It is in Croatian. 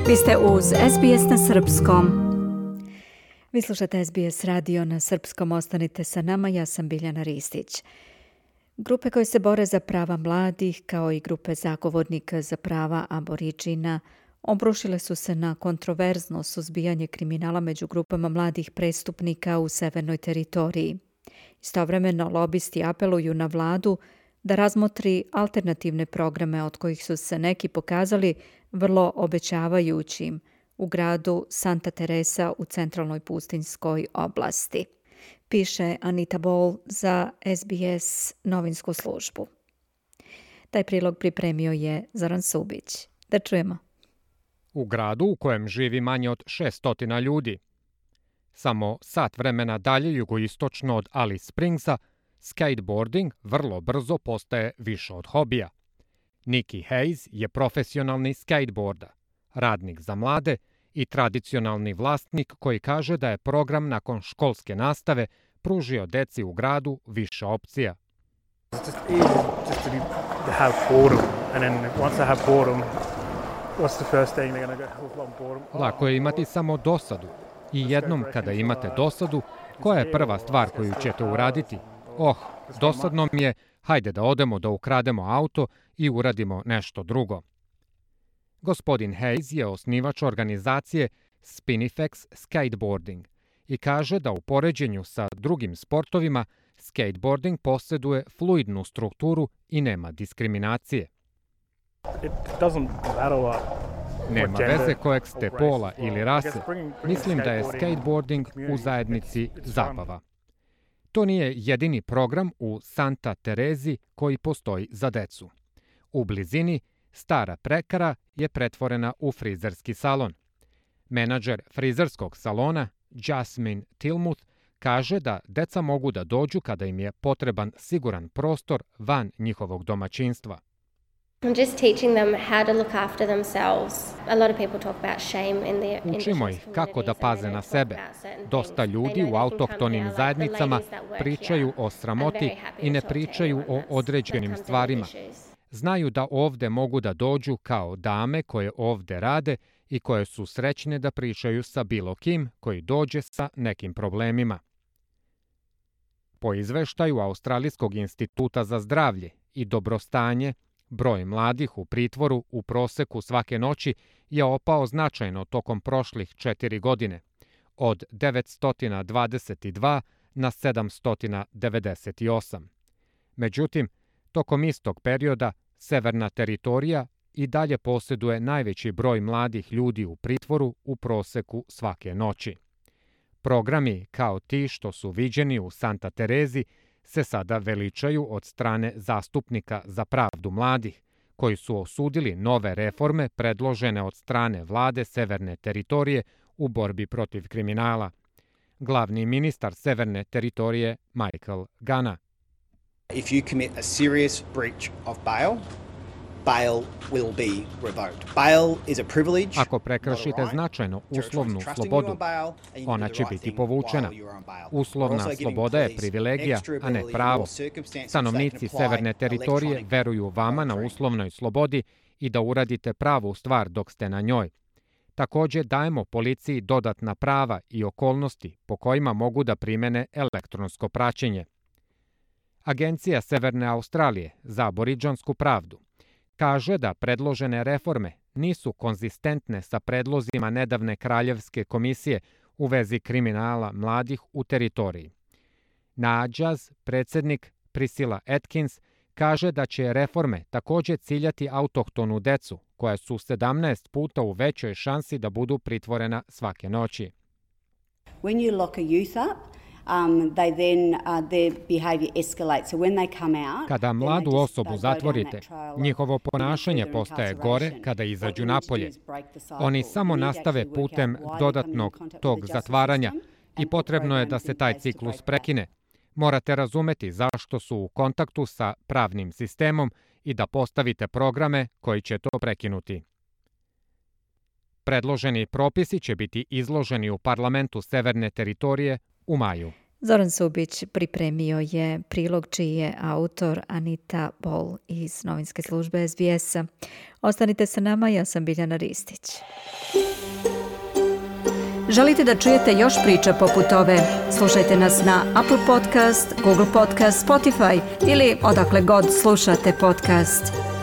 Vi ste uz SBS na srpskom. Vi slušate SBS radio na srpskom. Ostanite sa nama, ja sam Biljana Ristić. Grupe koje se bore za prava mladih, kao i grupe zagovornika za prava aboriđina, obrušile su se na kontroverzno suzbijanje kriminala među grupama mladih prestupnika u severnoj teritoriji. Istovremeno, lobisti apeluju na vladu da razmotri alternativne programe od kojih su se neki pokazali vrlo obećavajućim u gradu Santa Teresa u centralnoj pustinjskoj oblasti. Piše Anita Ball za SBS novinsku službu. Taj prilog pripremio je Zoran Subić. Da čujemo. U gradu u kojem živi manje od 600 ljudi. Samo sat vremena dalje jugoistočno od Alice Springsa, skateboarding vrlo brzo postaje više od hobija. Nikki Hayes je profesionalni skateboarder, radnik za mlade i tradicionalni vlasnik koji kaže da je program nakon školske nastave pružio deci u gradu više opcija. Lako je imati samo dosadu. I jednom kada imate dosadu, koja je prva stvar koju ćete uraditi? Dosadno mi je, hajde da odemo da ukrademo auto i uradimo nešto drugo. Gospodin Hayes je osnivač organizacije Spinifex Skateboarding i kaže da u poređenju sa drugim sportovima skateboarding posjeduje fluidnu strukturu i nema diskriminacije. Nema veze kojeg ste pola ili rase. Mislim da je skateboarding u zajednici zabava. To nije jedini program u Santa Terezi koji postoji za decu. U blizini stara prekara je pretvorena u frizerski salon. Menadžer frizerskog salona, Jasmine Tilmuth, kaže da deca mogu da dođu kada im je potreban siguran prostor van njihovog domaćinstva. Učimo ih kako da paze na sebe. Dosta ljudi u autohtonim zajednicama pričaju o sramoti i ne pričaju o određenim stvarima. Znaju da ovde mogu da dođu kao dame koje ovde rade i koje su srećne da pričaju sa bilo kim koji dođe sa nekim problemima. Po izveštaju Australijskog instituta za zdravlje i dobrostanje, broj mladih u pritvoru u proseku svake noći je opao značajno tokom prošlih 4 godine, od 922 na 798. Međutim, tokom istog perioda severna teritorija i dalje posjeduje najveći broj mladih ljudi u pritvoru u proseku svake noći. Programi kao ti što su viđeni u Santa Terezi se sada veličaju od strane zastupnika za pravdu mladih, koji su osudili nove reforme predložene od strane vlade severne teritorije u borbi protiv kriminala. Glavni ministar severne teritorije Michael Gunn. If you commit a serious breach of bail will be revoked. Bail is a privilege. Ako prekršite značajno uslovnu slobodu, ona će biti povučena. Uslovna sloboda je privilegija, a ne pravo. Stanovnici severne teritorije veruju vama na uslovnoj slobodi i da uradite pravu stvar dok ste na njoj. Također dajemo policiji dodatna prava i okolnosti po kojima mogu da primene elektronsko praćenje. Agencija Severne Australije za aboriđansku pravdu kaže da predložene reforme nisu konzistentne sa predlozima nedavne Kraljevske komisije u vezi kriminala mladih u teritoriji. Nadžaz, predsjednik Priscilla Atkins, kaže da će reforme također ciljati autohtonu decu, koja su 17 puta u većoj šansi da budu pritvorena svake noći. When you lock a youth up, their behavior escalates. So when they come out, kada mladu osobu zatvorite, njihovo ponašanje postaje gore kada izađu napolje. Oni samo nastave putem dodatnog tog zatvaranja i potrebno je da se taj ciklus prekine. Morate razumeti zašto su u kontaktu sa pravnim sistemom i da postavite programe koji će to prekinuti. Predloženi propisi će biti izloženi u parlamentu severne teritorije u maju. Zoran Subić pripremio je prilog čiji je autor Anita Ball iz novinske službe SBS-a. Ostanite sa nama, ja sam Biljana Ristić. Želite da čujete još priča poput ove? Slušajte nas na Apple Podcast, Google Podcast, Spotify ili odakle god slušate podcast.